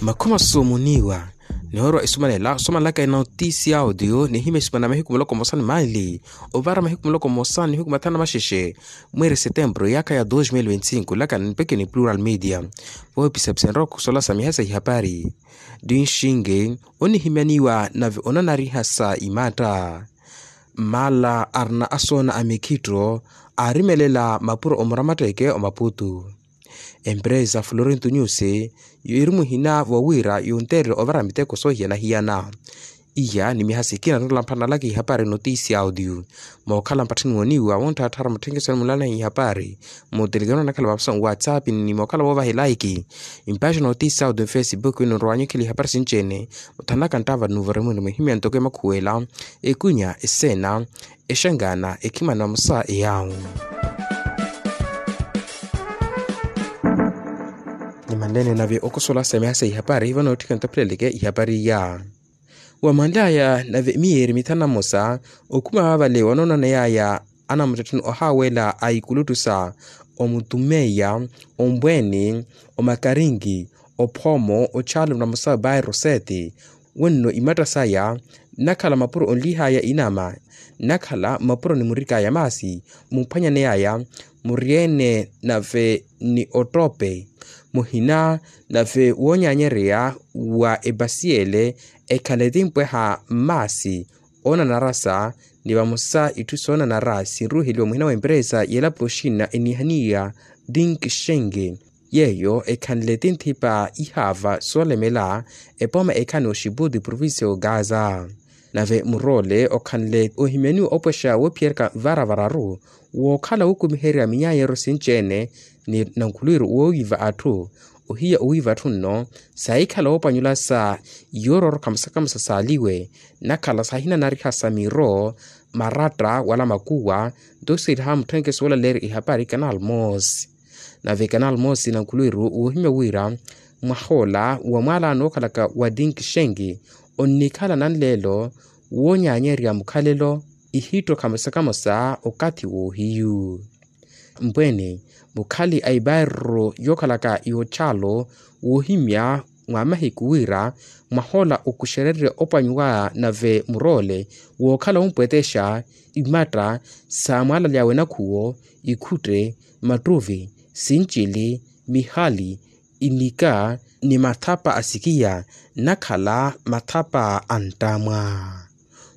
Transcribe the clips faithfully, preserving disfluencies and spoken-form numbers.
Makhuma sumuniwa. Nihoorwa isumanela osumanelaka enotisi ya audio nihimya esumana mahiku muloko mosa ni maili, ovara mahiku muloko mosa ni mahiku mathanu na maxexe, mweeri setempuru yaakha ya dos mil veinticinco laka nipeke ni plural media. Voopisapisenrya okhusola sa miha sa ihapari. Dinxinge onihimyaniwa nave onanariha sa imatta. Mmala arina asoona a mikhitto aarimelela mapuro omuramatteke omaputu. Empresa florinto nyusi, yiiri muhina vowira yunteerele ovara miteko soohiyana-hiyana. Iya ni miha sikina nrola mphanalaka ihapari notisi ya audio. Mookhala mpatthini wooniwa wontthaattharu mutthenkeso ni mulalahi ihapari, mutelekeni onakhala vapasa nwatsapp ni mookhala voovaha elaiki. Mpaxi notisi ya audio nfacebook wino nrowanyu ekhela ihapari sinci-ene. Muthanaka nttava nuvo remwini mwihimya ntoko emakhuwela, ekunya eseena, exangana ekhimana vamosa eyawu. Nimanlene nave okosola sa miha sa ihapari vano otthika ntapheleleke ihapari iya. Wamanly'aya nave miyeeri mithanu na mmosa, okhuma vaavale wanoonaney'aya anamuttettheni ohaawela a ikuluttusa, omutumeiya, ombweeni, omakarinki, ophoomo, ochaalo namosa bairro sete. Wenno imatta saya nnakhala mapuro onlih'aya inama, nnakhala mapuro nimurik'aya maasi, mumphwanyaney'aya muryeene nave ni ottope. Muhina nave woonyaanyeryeya wa epasiyele ekhale timpweha mmaasi oonanarasa, ni vamosa itthu soonanara sinruuheliwa muhina wa emperesa y'elapo oxina eniihaniya. Dinkixenke yeeyo ekhanle tinthipa ihaava soolemela epooma ekhani oxiputi provincia y'ogaza. Nave muroole okhanle ohimyaniwa opwexa woophiyerya varavararu, wookhala wukumiherya minyaanyeryo sinci-ene ni nankhulwiru woowiiva atthu. Ohiya owiiva atthu nno saahikhala woopanyula sa yoororokha musakamusa saaliwe, nnakhala saahinanariha sa miro, maratta wala makuwa. Nto siiriha mutthenkeso woolaleerya ihapari canal mosi. Nave canal mosi nankhulwiru woohimya wira mwahoola wa mwaalaano wookhalaka wa dinkixenki onnikhala nanleelo woonyaanyerya mukhalelo ihittokha musakamusa okathi woohiyu. Mbweene mukhali a ibairro yookhalaka yochaalo woohimya mwa mahiku wira mwahoola okuxererya opwanyu waya nave muroole wookhala wumpwetexa imatta sa mwaalali awe nakhuwo, ikhutte, mattuvi, sincili, mihali, inika ni mathapa a sikiya nnakhala mathapa a nttamwa.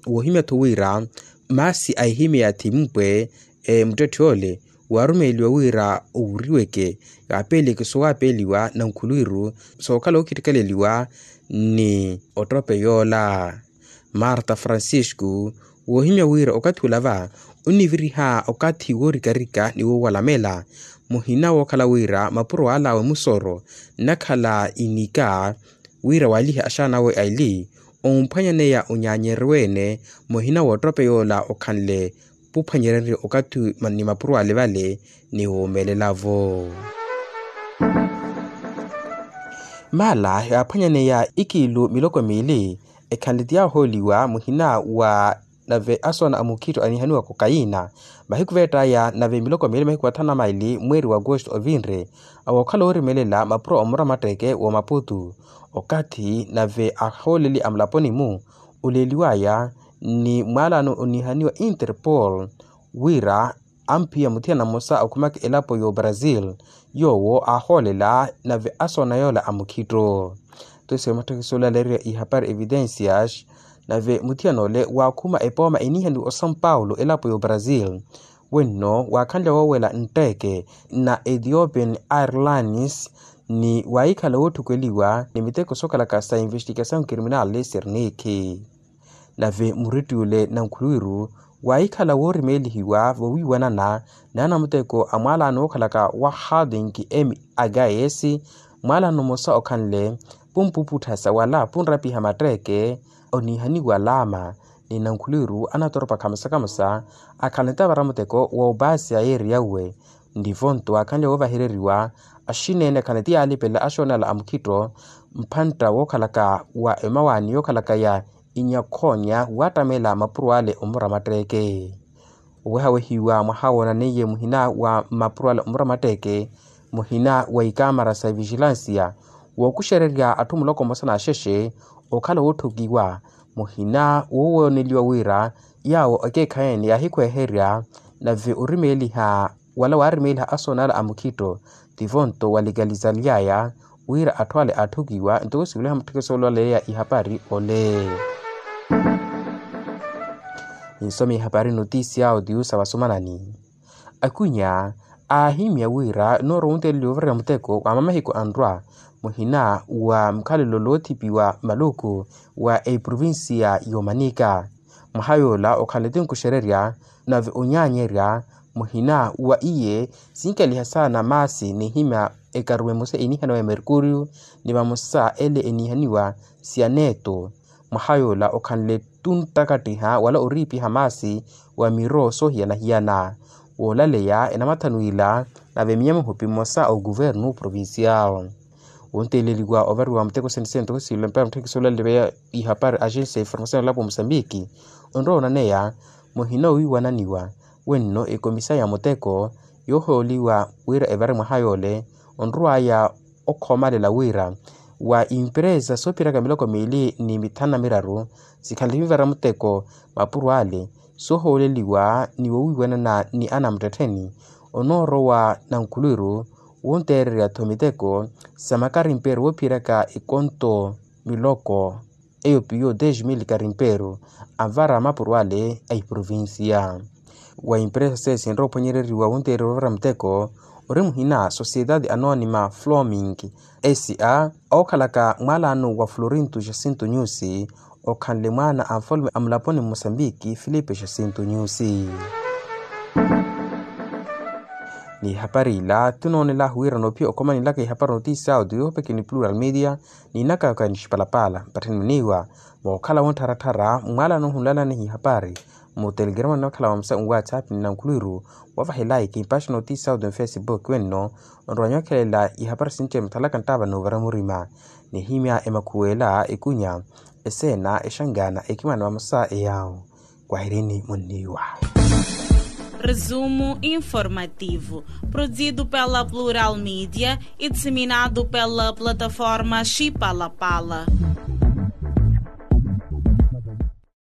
Woohimya-tho wira maasi a ehimya ya thimpwe muttetthi ole waarumeeliwa wira owuriweke, yaapeeleke sowaapeeliwa nankhulwiru sookhala wookhittikeleliwa ni ottope yoola. Marta francisco woohimya wira okathi olava onniviriha okathi woorikarika ni woowalamela, muhina wookhala wira mapuro al'awe musoro nnakhala inika, wira waalihe axaana awe aili omphwanyaneya onyaanyeryo ene muhina w'ottope yoola okhanle puphwanyererye okathi ni mapuro ale vale ni woomelela-vo. Maala yaaphwanyaneya ikiilu miloko miili ekhanle ti yaahooliwa muhina wa nave asoona a mukhitto aniihaniwa kokaina mahiku veett'aya nave miloko miili mahiku mathanu na maili mweeri wa agosto ovinre. Awookhala oorimelela mapuro a muramatteke w'omaputu okathi nave ahooleli a mulaponi-mu oleeliw'aya ni mwaalaano oniihaniwa interpol wira amphiya muthiyana mmosa okhumaka elapo y'obrazil yoowo aahoolela nave asoona yoola a mukhitto. Tosiwe matthekisi olaleerya ihapari evidencias nave muthiyana ole waakhuma epooma eniihaniwa osão paulo elapo y'obrazil wenno waakhanlya woowela ntteke na ethiopian airlines ni waahikhala wootthukweliwa ni miteko sookhalaka sa investigasaw criminal sernikhi. Nave murittiyule nankhulwiru waahikhala woorimeelihiwa vowiiwanana n'anamuteko a mwaalaano wookhalaka wa harding m agas mwaalaano mmosa okhanle pumpuputthasa wala punrapiha matteeke oniihaniwa laama ni nankhulwiru anatoropa khamosa khamosa akhala nitavara muteko woopaasi a yeeri yauwe. Nivonto waakhanle woovahereriwa axineene akhala niti yaalipelela axoonala a mukhitto mphantta wookhalaka wa emawaani yookhalaka ya inyakhoonya waattamela mapuro ale omuramatteke. Owehawehiwa mwaha woonaneiye muhina wa mapuro ale omuramatteke muhina wa ikamara sa vigilansiya Wookuxererya atthu muloko mmosa n'axexe okhala wootthukiwa muhina woowooneliwa wira yaawo ekeekhayi-ene yaahikhweherya nave orimeeliha wala waarimeeliha asoona ala a mukhitto tivonto wa likalizalyaya wira atthu ale aatthukiwa ntoko sivuliha mutthekesolo aleya ihapari ole. Ninsome ihapari notisiya otiusa vasomanani. Akwinya aahimya wira noorowa wunteeleliwa ovarerya muteko wa mamahiku anrwa muhina wa mukhalelo loothipiwa maluku wa eprovincia y'omanika. Mwaha yoola okhanle tinkuxererya nave onyaanyerya muhina wa iye sinkaliha saana maasi n'ihimya ekaruwa emosa eniihaniwa ya merkuriyo ni vamosa ele eniihaniwa sianeto. Mwaha yoola okhanle tuntakattiha wala oriipiha maasi wa miro soohiyana-hiyana woolaleya enamathanu ila nave miya mihupi mmosa a okuvernu provincial. Wonteeleliwa ovariwa muteko sente sente ntoko siilo mpaya mutthekisolo aleya ihapari agensia information ya olapo musambiki onrowa onaneya muhina owiiwananiwa wenno ekomisa ya muteko yoohooliwa wira evare mwaha yoole onrow'aya okhoomalela wira wa impresa soophiraka miloko miili ni mithanu na miraru sikhanle vivara muteko mapuro ale soohooleliwa ni wowiiwanana ni anamuttettheni onoorowa nankhulwiru wonteererya-tho miteko sa makarimpeero woophiyeraka ekonto miloko eyo piyo dez mil karimpeero anvara mapuro ale a iprovincia. Wa impresa seiya sinrowa ophwanyereriwa wunteereriwa ovara muteko ori muhina sociedade anonima floming sa ookhalaka mwaalano wa florinto jacinto nyusi okhanle mwaana a nfalume a mulaponi mmosambiki filipe jacinto nyusi. Ni ihapari ila tinoonel'ahu wira noophiya okhomanelaka ihapari notisiya audio yoopeke ni plural media ni inakaka ni xipalapala mpattheni muniiwa mookhala wonttharatthar'a mmwaalano ohunlalaniha ihapari mutelegrama ni makhala vamosa nwatsapp ni nankhulwiru wavaha elaiki mpaxi notisiya audio ni facebook wenno onrowa nyokhelela ihapari sinci emathalaka nttaava noovara murima nihimya emakhuwela ekunya eseena exangana ekimana vamosa eyaawo. Kwahirini munniiwa. Resumo informativo, produzido pela Plural Media e disseminado pela plataforma Chipalapala.